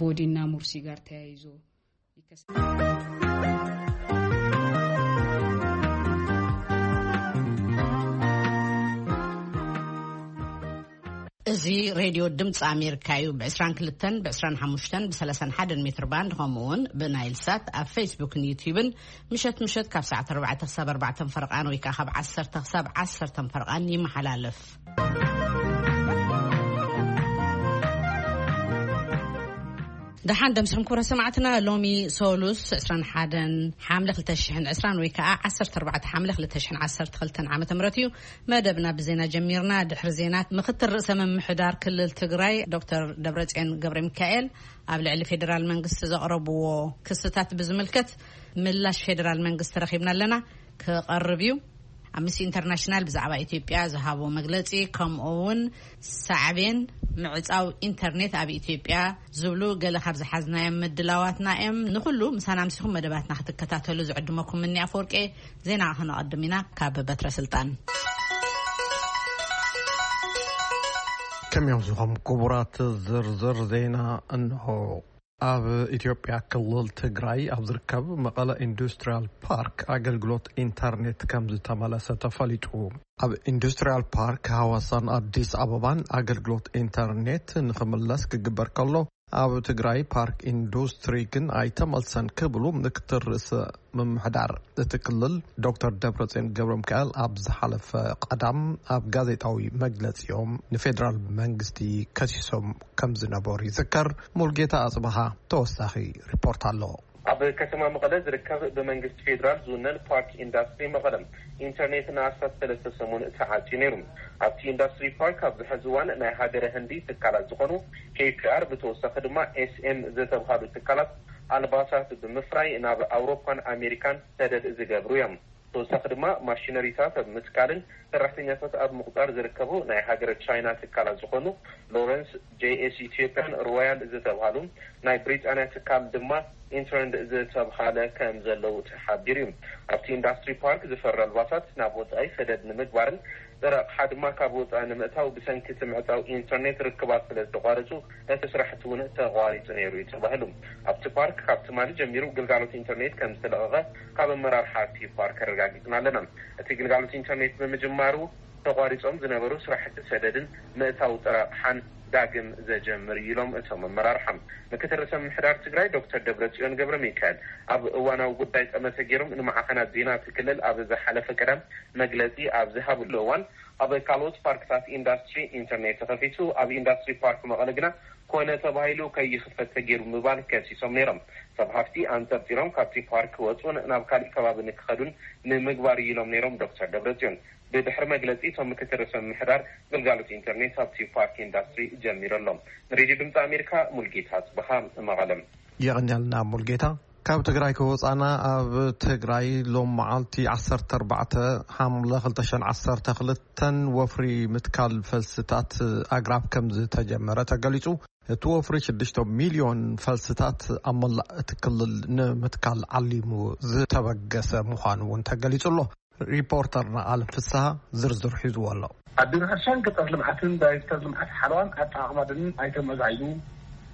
ቦዲና ሙርሲ ጋር ተያይዞ ይከሰታል። እዚ ሬድዮ ድምፂ ኣሜሪካ እዩ። ብ22፣ ብ25፣ ብ31 ሜትር ባንድ፣ ከምኡ እውን ብናይል ሳት ኣብ ፌስቡክን ዩቲዩብን ምሸት ምሸት ካብ ሰዓት ኣርባዕተ ክሳብ ኣርባዕተ ፈርቓን ወይ ከዓ ካብ ዓሰርተ ክሳብ ዓሰርተ ፈርቓን ይመሓላለፍ። ደሓን ደምስኹም ክቡራት ሰማዕትና፣ ሎሚ ሶሉስ ዕስራን ሓደን ሓምለ ክልተ ሽሕን ዕስራን ወይ ከዓ ዓሰርተ ኣርባዕተ ሓምለ ክልተ ሽሕን ዓሰርተ ክልተን ዓመተ ምህረት እዩ። መደብና ብዜና ጀሚርና። ድሕሪ ዜና፣ ምክትል ርእሰ ምምሕዳር ክልል ትግራይ ዶክተር ደብረጽዮን ገብረ ሚካኤል ኣብ ልዕሊ ፌዴራል መንግስቲ ዘቕረብዎ ክስታት ብዝምልከት ምላሽ ፌዴራል መንግስቲ ረኺብና ኣለና፣ ክቐርብ እዩ። ኣምነስቲ ኢንተርናሽናል ብዛዕባ ኢትዮጵያ ዝሃቦ መግለጺ፣ ከምኡ እውን ሳዕቤን ምዕጻው ኢንተርኔት ኣብ ኢትዮጵያ ዝብሉ ገለ ካብ ዝሓዝናዮም ምድላዋትና እዮም። ንኹሉ ምሳና ኣምሲኹም መደባትና ክትከታተሉ ዝዕድመኩም ምኒ ኣፈወርቄ። ዜና ክነቐድም ኢና ካብ በትረ ስልጣን። ከመይ ኣምሲኹም ክቡራት፣ ዝርዝር ዜና እንሆ። ኣብ ኢትዮጵያ ክልል ትግራይ ኣብ ዝርከብ መቐለ ኢንዱስትሪያል ፓርክ ኣገልግሎት ኢንተርኔት ከም ዝተመለሰ ተፈሊጡ። ኣብ ኢንዱስትሪያል ፓርክ ሃዋሳን ኣዲስ ኣበባን ኣገልግሎት ኢንተርኔት ንኽምለስ ክግበር ከሎ፣ ኣብ ትግራይ ፓርክ ኢንዱስትሪ ግን ኣይተመልሰን ክብሉ ምክትል ርእሰ ምምሕዳር እቲ ክልል ዶክተር ደብረጽዮን ገብረ ሚካኤል ኣብ ዝሓለፈ ቀዳም ኣብ ጋዜጣዊ መግለጺኦም ንፌዴራል መንግስቲ ከሲሶም ከም ዝነበሩ ይዝከር። ሙልጌታ ኣጽብሃ ተወሳኺ ሪፖርት ኣሎ። ኣብ ከተማ መቐለ ዝርከብ ብመንግስቲ ፌዴራል ዝውነን ፓርክ ኢንዳስትሪ መቐለ ኢንተርኔት ንኣስታት ሰለስተ ሰሙን ተዓጽዩ ነይሩ። ኣብቲ ኢንዳስትሪ ፓርክ ኣብዚ ሕዚ እዋን ናይ ሃገረ ህንዲ ትካላት ዝኾኑ ኬ ፒ ኣር፣ ብተወሳኺ ድማ ኤስ ኤም ዝተብሃሉ ትካላት ኣልባሳት ብምፍራይ ናብ ኣውሮፓን ኣሜሪካን ሰደድ ዝገብሩ እዮም። ተወሳኺ ድማ ማሽነሪታት ኣብ ምትካልን ሰራሕተኛታት ኣብ ምቑጻር ዝርከቡ ናይ ሃገረ ቻይና ትካላት ዝኾኑ ሎረንስ፣ ጄ ኤስ ኢትዮጵያን ሮያል ዝተብሃሉ፣ ናይ ብሪጣንያ ትካል ድማ ኢንትረንድ ዝተብሃለ ከም ዘለዉ ተሓቢሩ እዩ። ኣብቲ ኢንዳስትሪ ፓርክ ዝፈሪ ኣልባሳት ናብ ወጻኢ ሰደድ ንምግባርን ጥረ ኣቕሓ ድማ ካብ ወጻኢ ንምእታው ብሰንኪ እቲ ምዕጻው ኢንተርኔት ርክባት ስለ ዝተቋረጹ እቲ ስራሕቲ እውን ተቋሪጹ ነይሩ እዩ ተባሂሉ። ኣብቲ ፓርክ ካብ ትማሊ ጀሚሩ ግልጋሎት ኢንተርኔት ከም ዝተለቐቐ ካብ ኣመራርሓ እቲ ፓርክ ኣረጋጊጽና ኣለና። እቲ ግልጋሎት ኢንተርኔት ብምጅማሩ ተቋሪጾም ዝነበሩ ስራሕቲ ሰደድን ምእታው ጥረ ኣቕሓን ዳግም ዘጀምር እዩ ኢሎም እቶም ኣመራርሓ። ምክትል ርእሰ ምምሕዳር ትግራይ ዶክተር ደብረጽዮን ገብረ ሚካኤል ኣብ እዋናዊ ጉዳይ ጠመተ ገይሮም ንማዕኸናት ዜና እቲ ክልል ኣብ ዝሓለፈ ቀዳም መግለጺ ኣብ ዝሃብሉ እዋን፣ ኣብ ካልኦት ፓርክታት ኢንዳስትሪ ኢንተርኔት ተኸፊቱ፣ ኣብ ኢንዳስትሪ ፓርክ መቐለ ግና ኮነ ተባሂሉ ከይኽፈት ተገይሩ ምባል ከሲሶም ነይሮም። ሰብ ሃፍቲ ኣንጠርጢሮም ካብቲ ፓርክ ክወፁን ናብ ካሊእ ከባቢ ንክኸዱን ንምግባር እዩ ኢሎም ነይሮም ዶክተር ደብረጽዮን። ብድሕሪ መግለጺ እቶም ምክትል ርእሰ ምምሕዳር፣ ግልጋሎት ኢንተርኔት ኣብቲ ፓርክ ኢንዳስትሪ ጀሚሩ ኣሎ። ንሬድዮ ድምፂ ኣሜሪካ ሙልጌታ ጽበኻ መቐለም። የቐንያልና ሙልጌታ። ካብ ትግራይ ከወፃና፣ ኣብ ትግራይ ሎም መዓልቲ ዓሰርተ ኣርባዕተ ሓምለ ክልተ ሽሕን ዓሰርተ ክልተን ወፍሪ ምትካል ፈልስታት ኣግራብ ከም ዝተጀመረ ተገሊፁ። እቲ ወፍሪ ሽዱሽተ ሚልዮን ፈልስታት ኣብ መላእ እቲ ክልል ንምትካል ዓሊሙ ዝተበገሰ ምዃኑ እውን ተገሊፁ ኣሎ። ሪፖርተርና ኣለም ፍስሃ ዝርዝር ሒዝዎ ኣሎ። ኣብ ቢሮ ሕርሻን ገጠር ልምዓትን ዳይሬክተር ልምዓት ሓለዋን ኣጠቓቕማ ደንን ኣይተ ሙዑዝ ዓይዱ፣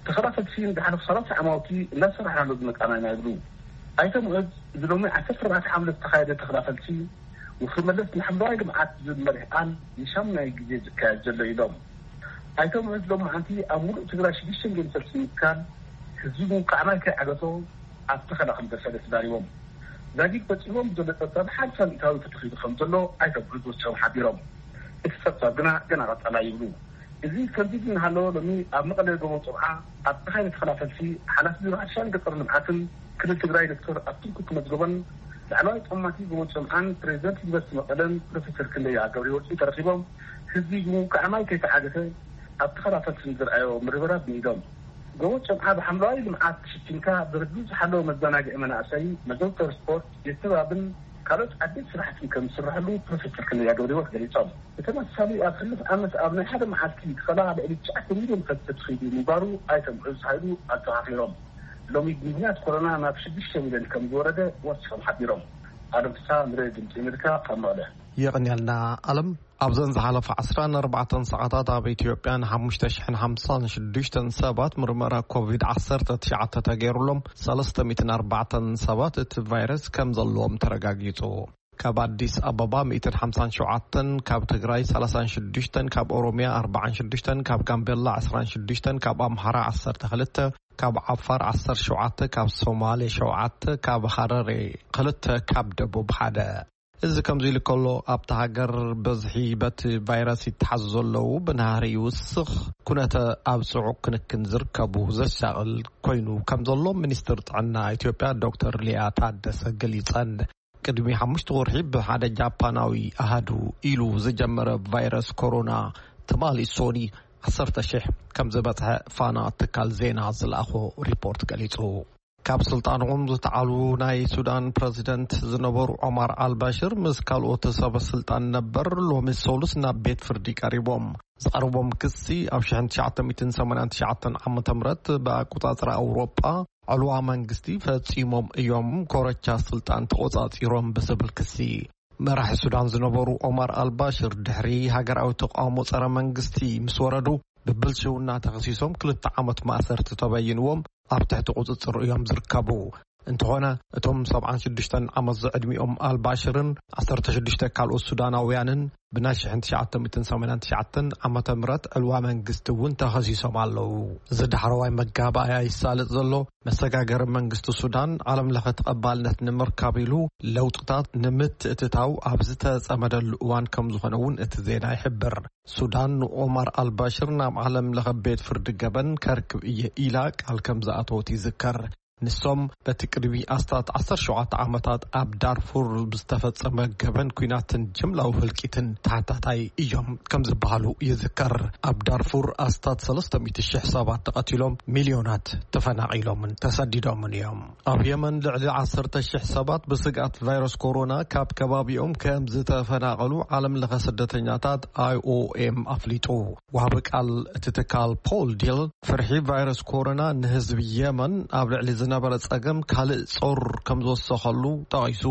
ተኸላፈልቲ ንዝሓለፉ ሰላሳ ዓማውቲ እናሰራሕናሉ ዝመጻና ኢና ይብሉ። ኣይተ ሙዑዝ፣ እዚ ሎሚ ዓሰርተ ኣርባዕተ ሓምለ ዝተኻየደ ተኸላፈልቲ ወፍሪ መለስ ንሓምለዋይ ልምዓት ዝብል መሪሕ ቃል ንሻሙናይ ግዜ ዝካየድ ዘሎ ኢሎም። ኣይተ ሙዑዝ ሎም መዓንቲ ኣብ ሙሉእ ትግራይ ሽዱሽተ ሚልዮን ፈልሲ ምትካል፣ ህዝቢ ምውቃዕ ማይ ከይዓገቶ ኣብ ተኸላ ከም ዘሰለ ተዛሪቦም። ዛጊድ በፂሕዎም ዘሎ ፀብፃብ ሓምሳ ሚእታዊ ተተኺሉ ከም ዘሎ ኣይተ ሙዑዝ ወሲኾም ሓቢሮም። እቲ ፀብፃብ ግና ገና ቀፃላይ ይብሉ። እዚ ከምዚ እናሃለወ ሎሚ ኣብ መቐለ ጎቦ ፆምዓ ኣብ ተኻየደ ተኸላ ፈልሲ ሓላፊ ቢሮ ሕርሻን ገጠር ልምዓትን ክልል ትግራይ ዶክተር ኣክሊሉ ተመዝገበን ላዕለዋይ ጠማቲ ጎቦ ፆምዓን ፕሬዚደንት ዩኒቨርሲቲ መቐለን ፕሮፌሰር ክንደያ ገብረወርቂ ተረኺቦም ህዝቢ ብምውቃዕ ማይ ከይተዓገተ ኣብ ተኸላ ፈልሲ ንዝረኣዮ ምርብራብ ንኢዶም። ጎቦ ጨምዓ ብሓምለዋይ ልምዓት ተሸፊንካ ብርግኡ ዝሓለወ መዘናግዒ መናእሰይ፣ መዘውተሪ ስፖርት፣ ቤት ንባብን ካልኦት ዓበይቲ ስራሕትን ከም ዝስረሐሉ ፕሮፌሰር ክንደያ ገብረህይወት ገሊጾም። ብተመሳሳሊ ኣብ ሕሉፍ ዓመት ኣብ ናይ ሓደ መዓልቲ ተኸላ ልዕሊ ትሽዓተ ሚልዮን ፈልሲ ተተኺሉ ምንባሩ ኣይተ ሙዑዝ ሃይሉ ኣዘኻኺሮም። ሎሚ ብምኽንያት ኮሮና ናብ ሽዱሽተ ሚልዮን ከም ዝወረደ ወሲኾም ሓቢሮም። ኣለም ፍስሃ ንሬድዮ ድምፂ ኣሜሪካ ካብ መቐለ። የቐንየልና። ኣለም ኣብዘን ዝሓለፈ ዓሰርተ ኣርባዕተ ሰዓታት ኣብ ኢትዮጵያ ን ሓሙሽተ ሽሕን ሓምሳን ሽዱሽተን ሰባት ምርመራ ኮቪድ ዓሰርተ ትሽዓተ ተገይሩሎም፣ ሰለስተ ሚእትን ኣርባዕተን ሰባት እቲ ቫይረስ ከም ዘለዎም ተረጋጊጹ። ካብ ኣዲስ ኣበባ ሚእትን ሓምሳን ሸውዓተን፣ ካብ ትግራይ ሰላሳን ሽዱሽተን፣ ካብ ኦሮሚያ ኣርባዓን ሽዱሽተን፣ ካብ ጋምቤላ ዕስራን ሽዱሽተን፣ ካብ ኣምሓራ ዓሰርተ ክልተ፣ ካብ ዓፋር ዓሰርተ ሸውዓተ፣ ካብ ሶማሌ ሸውዓተ፣ ካብ ሃረሬ ክልተ፣ ካብ ደቡብ ሓደ። እዚ ከምዚ ኢሉ ከሎ፣ ኣብታ ሃገር በዝሒ በቲ ቫይረስ ይተሓዙ ዘለዉ ብናህሪ ይውስኽ፣ ኩነተ ኣብ ጽዑቕ ክንክን ዝርከቡ ዘሻቕል ኮይኑ ከም ዘሎ ሚኒስትር ጥዕና ኢትዮጵያ ዶክተር ሊያ ታደሰ ገሊጸን። ቅድሚ ሓሙሽተ ወርሒ ብሓደ ጃፓናዊ ኣሃዱ ኢሉ ዝጀመረ ቫይረስ ኮሮና፣ ትማሊ ሶኒ ዓሰርተ ሺሕ ከም ዝበጽሐ ፋና ትካል ዜና ዝለኣኾ ሪፖርት ገሊጹ። ካብ ስልጣኖም ዝተዓሉ ናይ ሱዳን ፕረዚደንት ዝነበሩ ዖማር ኣልባሽር ምስ ካልኦት ሰበ ስልጣን ነበር ሎሚ ሰሉስ ናብ ቤት ፍርዲ ቀሪቦም። ዝቐረቦም ክሲ ኣብ ሽሕን ትሽዓተ ሚእትን ሰማንያን ትሽዓተን ዓመተ ምህረት ብኣቆጻጽራ ኣውሮጳ ዕልዋ መንግስቲ ፈጺሞም እዮም፣ ኮረቻ ስልጣን ተቆጻጺሮም ብዝብል ክሲ። መራሒ ሱዳን ዝነበሩ ኦማር ኣልባሽር ድሕሪ ሃገራዊ ተቃውሞ ጸረ መንግስቲ ምስ ወረዱ ብብልሽውና ተኸሲሶም ክልተ ዓመት ማእሰርቲ ተበይንዎም ኣብ ትሕቲ ቁጽጽር እዮም ዝርከቡ። እንተኾነ እቶም ሰብዓን ሽዱሽተን ዓመት ዝዕድሚኦም ኣልባሽርን ዓሰርተ ሽዱሽተ ካልኦት ሱዳናውያንን ብናይ ሽሕን ትሽዓተ ሚእትን ሰማንያን ትሽዓተን ዓመተ ምህረት ዕልዋ መንግስቲ እውን ተኸሲሶም ኣለዉ። እዚ ዳሕረዋይ መጋባእያ ይሳለጥ ዘሎ መሰጋገሪ መንግስቲ ሱዳን ዓለም ለኸ ተቐባልነት ንምርካብ ኢሉ ለውጥታት ንምትእትታው ኣብ ዝተጸመደሉ እዋን ከም ዝኾነ እውን እቲ ዜና ይሕብር። ሱዳን ንኦማር ኣልባሽር ናብ ዓለም ለኸ ቤት ፍርዲ ገበን ከርክብ እየ ኢላ ቃል ከም ዝኣተወት ይዝከር። ንሶም በቲ ቅድሚ ኣስታት ዓሰርተ ሸውዓተ ዓመታት ኣብ ዳርፉር ብዝተፈጸመ ገበን ኲናትን ጅምላዊ ህልቂትን ተሓታታይ እዮም ከም ዝበሃሉ ይዝከር። ኣብ ዳርፉር ኣስታት ሰለስተ ሚእቲ ሽሕ ሰባት ተቐቲሎም፣ ሚልዮናት ተፈናቒሎምን ተሰዲዶምን እዮም። ኣብ የመን ልዕሊ ዓሰርተ ሽሕ ሰባት ብስግኣት ቫይረስ ኮሮና ካብ ከባቢኦም ከም ዝተፈናቐሉ ዓለም ለኸ ስደተኛታት ኣይ ኦ ኤም ኣፍሊጡ። ወሃቢ ቃል እቲ ትካል ፖል ዲል፣ ፍርሒ ቫይረስ ኮሮና ንህዝቢ የመን ኣብ ልዕሊ ዝነበረ ጸገም ካልእ ጾር ከም ዝወሰኸሉ ጠቒሱ፣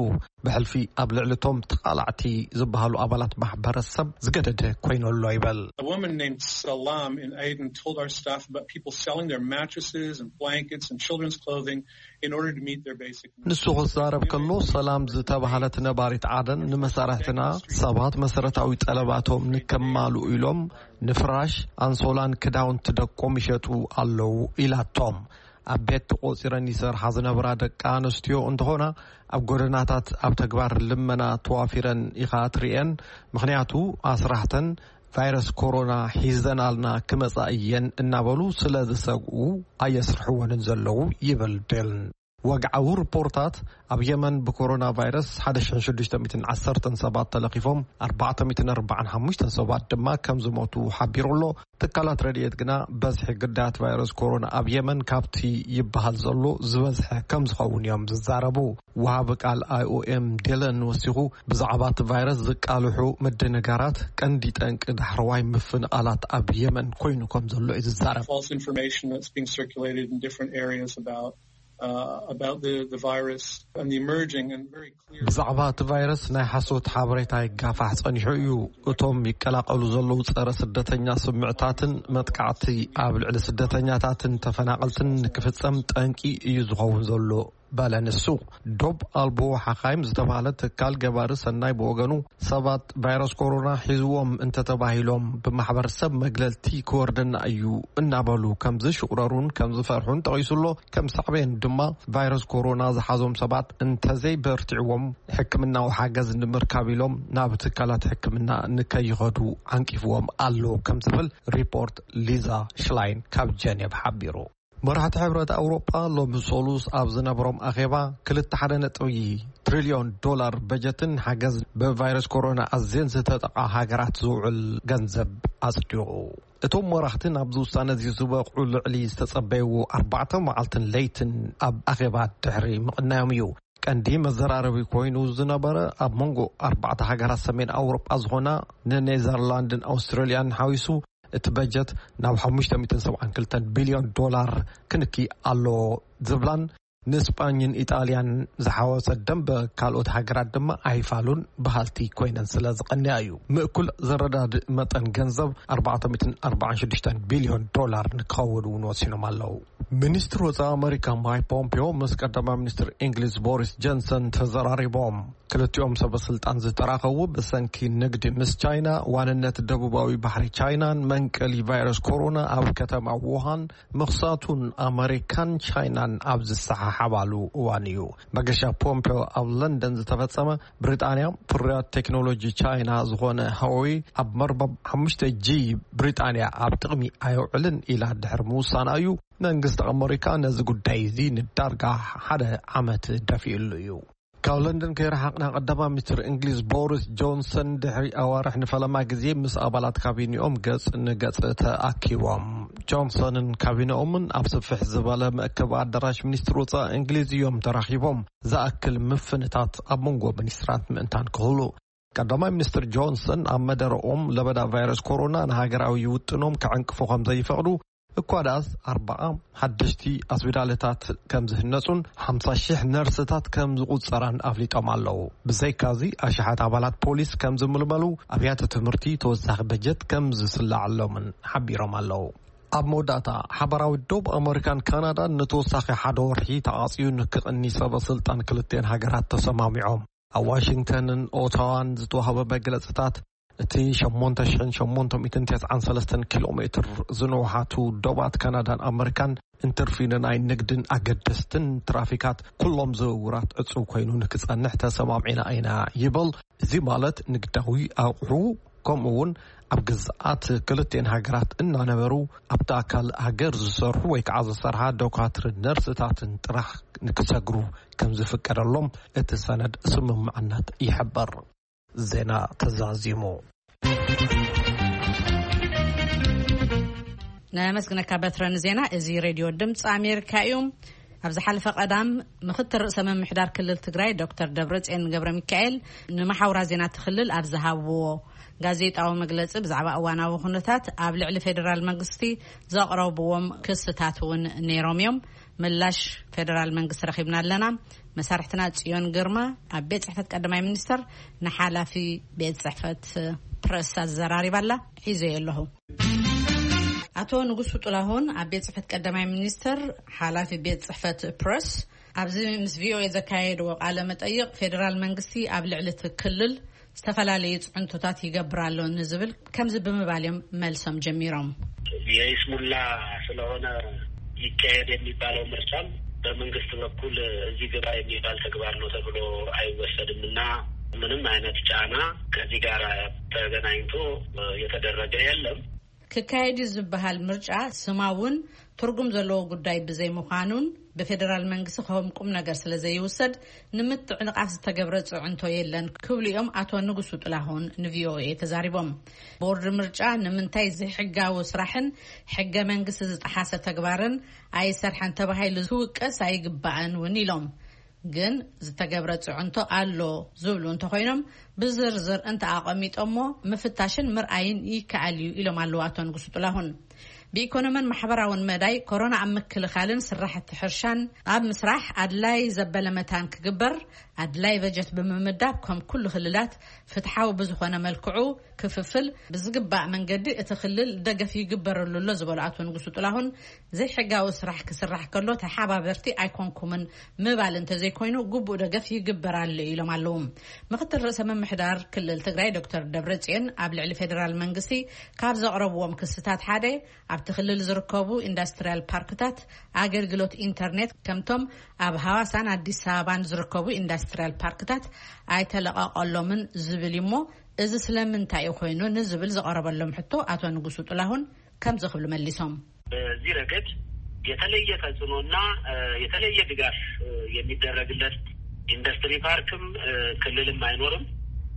ብሕልፊ ኣብ ልዕሊ እቶም ተቓላዕቲ ዝበሃሉ ኣባላት ማሕበረሰብ ዝገደደ ኮይኑ ኣሎ ይበል። A woman named Salam in Aden told our staff about people selling their mattresses and blankets and children's clothing in order to meet their basic needs. ንሱ ክዛረብ ከሎ፣ ሰላም ዝተባህለት ነባሪት ዓደን ንመሳርሕትና ሰባት መሰረታዊ ጠለባቶም ንከማልኡ ኢሎም ንፍራሽ፣ ኣንሶላን ክዳውንቲ ደቆም ይሸጡ ኣለዉ ኢላቶም። ኣብ ቤት ተቖጺረን ይሰርሓ ዝነበራ ደቂ ኣንስትዮ እንተኾና፣ ኣብ ጎደናታት ኣብ ተግባር ልመና ተዋፊረን ኢኻ ትርእየን። ምኽንያቱ ኣስራሕተን ቫይረስ ኮሮና ሒዘናልና ክመጻ እየን እናበሉ ስለ ዝሰግኡ ኣየስርሕወንን ዘለዉ ይብል ዴልን። ወግዓዊ ሪፖርታት ኣብ የመን ብኮሮና ቫይረስ ሓደ ሽሕን ሽዱሽተ ሚእትን ዓሰርተን ሰባት ተለኺፎም፣ ኣርባዕተ ሚእትን ኣርባዓን ሓሙሽተን ሰባት ድማ ከም ዝሞቱ ሓቢሩ ኣሎ። ትካላት ረድኤት ግና በዝሒ ግዳያት ቫይረስ ኮሮና ኣብ የመን ካብቲ ይበሃል ዘሎ ዝበዝሐ ከም ዝኸውን እዮም ዝዛረቡ። ወሃቢ ቃል ኣይ ኦ ኤም ዴለን ወሲኹ፣ ብዛዕባ እቲ ቫይረስ ዝቃልሑ ምድንጋራት ቀንዲ ጠንቂ ዳሕረዋይ ምፍንቓላት ኣብ የመን ኮይኑ ከም ዘሎ እዩ ዝዛረብ። False information that's being circulated in different areas about, uh, about the, the virus and the emerging and very clear ብዛዕባ እቲ ቫይረስ ናይ ሓሶት ሓበሬታ ይጋፋሕ ጸኒሑ እዩ። እቶም ይቀላቐሉ ዘለዉ ጸረ ስደተኛ ስምዕታትን መጥቃዕቲ ኣብ ልዕሊ ስደተኛታትን ተፈናቐልትን ንክፍጸም ጠንቂ እዩ ዝኸውን ዘሎ፣ በለ ንሱ። ዶብ ኣልቦ ሓኻይም ዝተባህለ ትካል ገባሪ ሰናይ ብወገኑ፣ ሰባት ቫይረስ ኮሮና ሒዝዎም እንተተባሂሎም ብማሕበረሰብ መግለልቲ ክወርደና እዩ እናበሉ ከም ዝሽቑረሩን ከም ዝፈርሑን ጠቒሱ ኣሎ። ከም ሳዕቤን ድማ ቫይረስ ኮሮና ዝሓዞም ሰባት እንተዘይበርቲዕዎም ሕክምናዊ ሓገዝ ንምርካብ ኢሎም ናብ ትካላት ሕክምና ንከይኸዱ ዓንቂፍዎም ኣሎ ከም ዝብል ሪፖርት ሊዛ ሽላይን ካብ ጀኔቭ ሓቢሩ። መራሕቲ ሕብረት ኣውሮጳ ሎሚ ሰሉስ ኣብ ዝነበሮም ኣኼባ ክልተ ሓደ ነጥቢ ትሪልዮን ዶላር በጀትን ሓገዝ ብቫይረስ ኮሮና ኣዝየን ዝተጠቓ ሃገራት ዝውዕል ገንዘብ ኣጽዲቑ። እቶም መራሕቲ ናብዚ ውሳነ እዚ ዝበቕዑ ልዕሊ ዝተጸበይዎ ኣርባዕተ መዓልትን ለይትን ኣብ ኣኼባ ድሕሪ ምቕናዮም እዩ። ቀንዲ መዘራረቢ ኮይኑ ዝነበረ ኣብ መንጎ ኣርባዕተ ሃገራት ሰሜን ኣውሮጳ ዝኾና ንኔዘርላንድን ኣውስትራልያን ሓዊሱ እቲ በጀት ናብ ሓሙሽተ ሚእትን ሰብዓን ክልተን ቢልዮን ዶላር ክንኪ ኣለዎ ዝብላን ንስጳኝን ኢጣልያን ዝሓወሰ ደንበ ካልኦት ሃገራት ድማ ኣይፋሉን በሃልቲ ኮይነን ስለ ዝቐንያ እዩ። ምእኩል ዘረዳድእ መጠን ገንዘብ ኣርባዕተ ሚእትን ኣርባዓን ሽዱሽተን ቢልዮን ዶላር ንክኸውን እውን ወሲኖም ኣለዉ። ሚኒስትር ወፃኢ ኣመሪካ ማይክ ፖምፒዮ ምስ ቀዳማይ ሚኒስትር እንግሊዝ ቦሪስ ጆንሰን ተዘራሪቦም። ክልቲኦም ሰበ ስልጣን ዝተራኸቡ ብሰንኪ ንግዲ ምስ ቻይና፣ ዋንነት ደቡባዊ ባሕሪ ቻይናን መንቀሊ ቫይረስ ኮሮና ኣብ ከተማ ውሃን ምኽሳቱን ኣመሪካን ቻይናን ኣብ ዝሰሓሓባሉ እዋን እዩ። መገሻ ፖምፔዮ ኣብ ለንደን ዝተፈጸመ፣ ብሪጣንያ ፍርያት ቴክኖሎጂ ቻይና ዝኾነ ሃዌይ ኣብ መርበብ ሓሙሽተ ጂ ብሪጣንያ ኣብ ጥቕሚ ኣየውዕልን ኢላ ድሕሪ ምውሳና እዩ። መንግስቲ ኣመሪካ ነዚ ጉዳይ እዚ ንዳርጋ ሓደ ዓመት ደፊኡሉ እዩ። ካብ ለንደን ከይረሓቕና፣ ቀዳማይ ሚኒስትር እንግሊዝ ቦሪስ ጆንሰን ድሕሪ ኣዋርሕ ንፈለማ ግዜ ምስ ኣባላት ካቢኔኦም ገጽ ንገጽ ተኣኪቦም። ጆንሰንን ካቢኔኦምን ኣብ ስፍሕ ዝበለ መእከቢ ኣዳራሽ ሚኒስትር ወጻኢ እንግሊዝ እዮም ተራኺቦም። ዝኣክል ምፍንታት ኣብ መንጎ ሚኒስትራት ምእንታን ክህሉ፣ ቀዳማይ ሚኒስትር ጆንሰን ኣብ መደረኦም ለበዳ ቫይረስ ኮሮና ንሃገራዊ ውጥኖም ክዕንቅፉ ከም ዘይፈቕዱ፣ እኳ ደኣስ ኣርባዓ ሓደሽቲ ኣስቢዳልታት ከም ዝህነጹን ሓምሳ ሺሕ ነርስታት ከም ዝቑጸራን ኣፍሊጦም ኣለዉ። ብዘይካዚ፣ ኣሽሓት ኣባላት ፖሊስ ከም ዝምልመሉ፣ ኣብያተ ትምህርቲ ተወሳኺ በጀት ከም ዝስላዓሎምን ሓቢሮም ኣለዉ። ኣብ መወዳእታ፣ ሓባራዊ ዶብ ኣመሪካን ካናዳን ንተወሳኺ ሓደ ወርሒ ተዓጽዩ ንክቕኒ ሰበ ስልጣን ክልቲኤን ሃገራት ተሰማሚዖም። ኣብ ዋሽንግተንን ኦታዋን ዝተዋህበ መግለጽታት፣ እቲ ሸሞንተ ሽሕን ሸሞንተ ሚእትን ተስዓን ሰለስተን ኪሎ ሜትር ዝንውሓቱ ዶባት ካናዳን ኣመሪካን እንትርፊ ንናይ ንግድን ኣገደስትን ትራፊካት ኩሎም ዝውውራት ዕጹው ኮይኑ ንክጸንሕ ተሰማሚዕና ኢና ይብል። እዚ ማለት ንግዳዊ ኣቑሑ ከምኡ እውን ኣብ ግዝኣት ክልቲኤን ሃገራት እናነበሩ ኣብቲ ኣካል ሃገር ዝሰርሑ ወይ ከዓ ዝሰርሓ ዶካትርን ነርስታትን ጥራሕ ንክሰግሩ ከም ዝፍቀደሎም እቲ ሰነድ ስምምዕነት ይሕብር። ዜና ተዛዚሙ። ነመስግነካ በትረ ንዜና። እዚ ሬድዮ ድምፂ ኣሜሪካ እዩ። ኣብ ዝሓለፈ ቀዳም፣ ምክትል ርእሰ ምምሕዳር ክልል ትግራይ ዶክተር ደብረፅዮን ገብረ ሚካኤል ንመሓውራ ዜና እቲ ክልል ኣብ ዝሃብዎ ጋዜጣዊ መግለፂ፣ ብዛዕባ እዋናዊ ኩነታት ኣብ ልዕሊ ፌዴራል መንግስቲ ዘቕረብዎም ክስታት እውን ነይሮም እዮም። ምላሽ ፌዴራል መንግስቲ ረኺብና ኣለና። መሳርሕትና ጽዮን ግርማ ኣብ ቤት ጽሕፈት ቀዳማይ ሚኒስተር ንሓላፊ ቤት ጽሕፈት ፕረስ ኣዘራሪባ ኣላ። ሒዘዮ ኣለኹ። ኣቶ ንጉሱ ጥላሁን ኣብ ቤት ጽሕፈት ቀዳማይ ሚኒስተር ሓላፊ ቤት ጽሕፈት ፕረስ ኣብዚ ምስ ቪኦኤ ዘካየድዎ ቃለ መጠይቕ፣ ፌዴራል መንግስቲ ኣብ ልዕሊ እቲ ክልል ዝተፈላለዩ ጽዕንቶታት ይገብር ኣሎ ንዝብል ከምዚ ብምባል እዮም መልሶም ጀሚሮም። የይስሙላ ስለሆነ ይካሄድ የሚባለው ምርጫም በመንግስት በኩል እዚህ ግባ የሚባል ተግባር ነው ተብሎ አይወሰድም እና ምንም አይነት ጫና ከዚህ ጋር ተገናኝቶ የተደረገ የለም። ክካየድ እዩ ዝበሃል ምርጫ ስማውን ትርጉም ዘለዎ ጉዳይ ብዘይምዃኑን ብፌዴራል መንግስቲ ከም ቁም ነገር ስለ ዘይውሰድ ንምትዕንቓፍ ዝተገብረ ጽዕንቶ የለን ክብሉ እዮም ኣቶ ንጉሱ ጥላሁን ንቪኦኤ ተዛሪቦም። ቦርድ ምርጫ ንምንታይ ዘይሕጋዊ ስራሕን ሕገ መንግስቲ ዝጠሓሰ ተግባርን ኣይሰርሐን ተባሂሉ ክውቀስ ኣይግባእን እውን ኢሎም። ግን ዝተገብረ ጽዕንቶ ኣሎ ዝብሉ እንተኾይኖም ብዝርዝር እንተኣቐሚጦሞ ምፍታሽን ምርኣይን ይከኣል እዩ ኢሎም ኣለዉ ኣቶ ንጉሱ ጥላሁን። ብኢኮኖምን ማሕበራውን መዳይ ኮሮና ኣብ ምክልኻልን ስራሕቲ ሕርሻን ኣብ ምስራሕ ኣድላይ ዘበለ መታን ክግበር ኣድላይ በጀት ብምምዳብ ከም ኩሉ ክልላት ፍትሓዊ ብዝኾነ መልክዑ ክፍፍል ብዝግባእ መንገዲ እቲ ክልል ደገፍ ይግበረሉ ኣሎ ዝበሉ ኣቶ ንጉሱ ጥላሁን ዘይሕጋዊ ስራሕ ክስራሕ ከሎ ተሓባበርቲ ኣይኮንኩምን ምባል እንተዘይኮይኑ ግቡእ ደገፍ ይግበር ኣሎ ኢሎም ኣለዉ። ምክትል ርእሰ ምምሕዳር ክልል ትግራይ ዶክተር ደብረጽዮን ኣብ ልዕሊ ፌዴራል መንግስቲ ካብ ዘቕረብዎም ክስታት ሓደ ኣብቲ ክልል ዝርከቡ ኢንዳስትሪያል ፓርክታት ኣገልግሎት ኢንተርኔት ከምቶም ኣብ ሃዋሳን ኣዲስ ኣበባን ዝርከቡ ኢንዳስትሪያል ፓርክታት ኣይተለቐቐሎምን ዝብል እዩ። እሞ እዚ ስለምንታይ እዩ ኮይኑ ንዝብል ዝቐረበሎም ሕቶ ኣቶ ንጉሱ ጥላሁን ከምዚ ክብሉ መሊሶም። በዚህ ረገድ የተለየ ተጽዕኖና የተለየ ድጋፍ የሚደረግለት ኢንዱስትሪ ፓርክም ክልልም አይኖርም።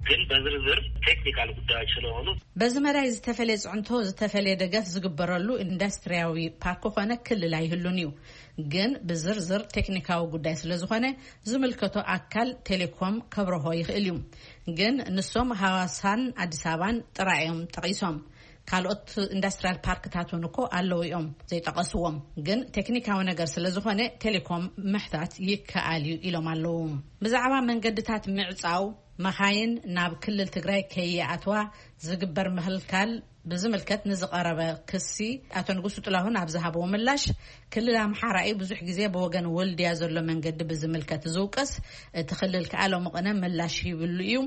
ግን በዝርዝር ቴክኒካል ጉዳዮች ስለሆኑ በዚ መዳይ ዝተፈለየ ጽዕንቶ ዝተፈለየ ደገፍ ዝግበረሉ ኢንዱስትሪያዊ ፓርክ ኮነ ክልል ኣይህሉን እዩ። ግን ብዝርዝር ቴክኒካዊ ጉዳይ ስለ ዝኾነ ዝምልከቶ ኣካል ቴሌኮም ከብረሆ ይኽእል እዩ። ግን ንሶም ሃዋሳን ኣዲስ ኣበባን ጥራይ እዮም ጠቒሶም። ካልኦት ኢንዱስትሪያል ፓርክታት እውን እኮ ኣለዉ እዮም ዘይጠቐስዎም፣ ግን ቴክኒካዊ ነገር ስለ ዝኾነ ቴሌኮም ምሕታት ይከኣል እዩ ኢሎም ኣለዉ። ብዛዕባ መንገድታት ምዕጻው፣ መኻይን ናብ ክልል ትግራይ ከይኣትዋ ዝግበር ምኽልካል ብዝምልከት ንዝቐረበ ክሲ፣ ኣቶ ንጉሱ ጥላሁን ኣብ ዝሃብዎ ምላሽ፣ ክልል ኣምሓራ እዩ ብዙሕ ግዜ ብወገን ወልድያ ዘሎ መንገዲ ብዝምልከት ዝውቀስ። እቲ ክልል ከኣ ሎሚ ቅነ ምላሽ ይብሉ እዩ።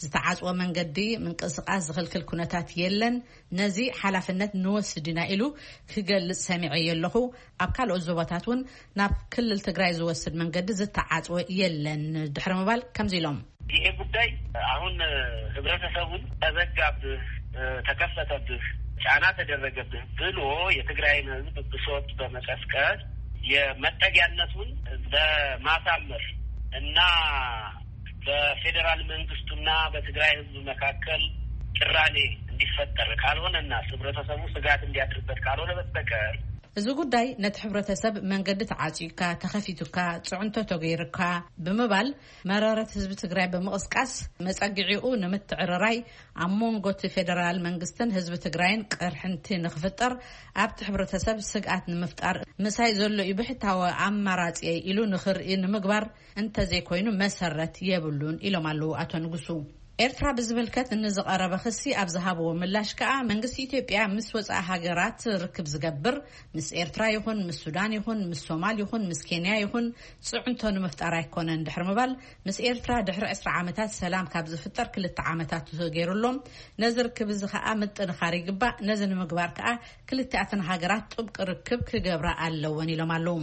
ዝተዓጽወ መንገዲ ምንቅስቃስ ዝኽልክል ኩነታት የለን። ነዚ ሓላፍነት ንወስድ ኢና ኢሉ ክገልጽ ሰሚዐዮ ኣለኹ። ኣብ ካልኦት ዞባታት እውን ናብ ክልል ትግራይ ዝወስድ መንገዲ ዝተዓጽወ የለን ድሕሪ ምባል ከምዚ ኢሎም። ይሄ ጉዳይ አሁን ህብረተሰቡን ተዘጋብህ፣ ተከፈተብህ፣ ጫና ተደረገብህ ብሎ የትግራይን ህዝብ ብሶት በመቀስቀስ የመጠጊያነቱን በማሳመር እና በፌዴራል መንግስቱና በትግራይ ህዝብ መካከል ቅራኔ እንዲፈጠር ካልሆነና ህብረተሰቡ ስጋት እንዲያድርበት ካልሆነ በስተቀር፣ እዚ ጉዳይ ነቲ ሕብረተሰብ መንገዲ ተዓጽዩካ፣ ተኸፊቱካ፣ ጽዕንቶ ተገይሩካ ብምባል መረረት ህዝቢ ትግራይ ብምቕስቃስ፣ መጸግዒኡ ንምትዕርራይ፣ ኣብ መንጎ እቲ ፌደራል መንግስትን ህዝቢ ትግራይን ቅርሕንቲ ንኽፍጠር፣ ኣብቲ ሕብረተሰብ ስግኣት ንምፍጣር ምሳይ ዘሎ እዩ ብሕታዊ ኣማራጺ ኢሉ ንኽርኢ ንምግባር እንተዘይኮይኑ መሰረት የብሉን ኢሎም ኣለዉ ኣቶ ንጉሱ። ኤርትራ ብዝምልከት ንዝቐረበ ክሲ ኣብ ዝሃብዎ ምላሽ ከኣ፣ መንግስቲ ኢትዮጵያ ምስ ወጻኢ ሃገራት ርክብ ዝገብር ምስ ኤርትራ ይኹን ምስ ሱዳን ይኹን ምስ ሶማል ይኹን ምስ ኬንያ ይኹን ጽዕንቶ ንምፍጣር ኣይኮነን ድሕሪ ምባል፣ ምስ ኤርትራ ድሕሪ ዕስራ ዓመታት ሰላም ካብ ዝፍጠር ክልተ ዓመታት ተገይሩ ኣሎ። ነዚ ርክብ እዚ ከኣ ምጥንኻር ይግባእ። ነዚ ንምግባር ከኣ ክልቲኣተን ሃገራት ጥብቂ ርክብ ክገብራ ኣለወን ኢሎም ኣለዉ።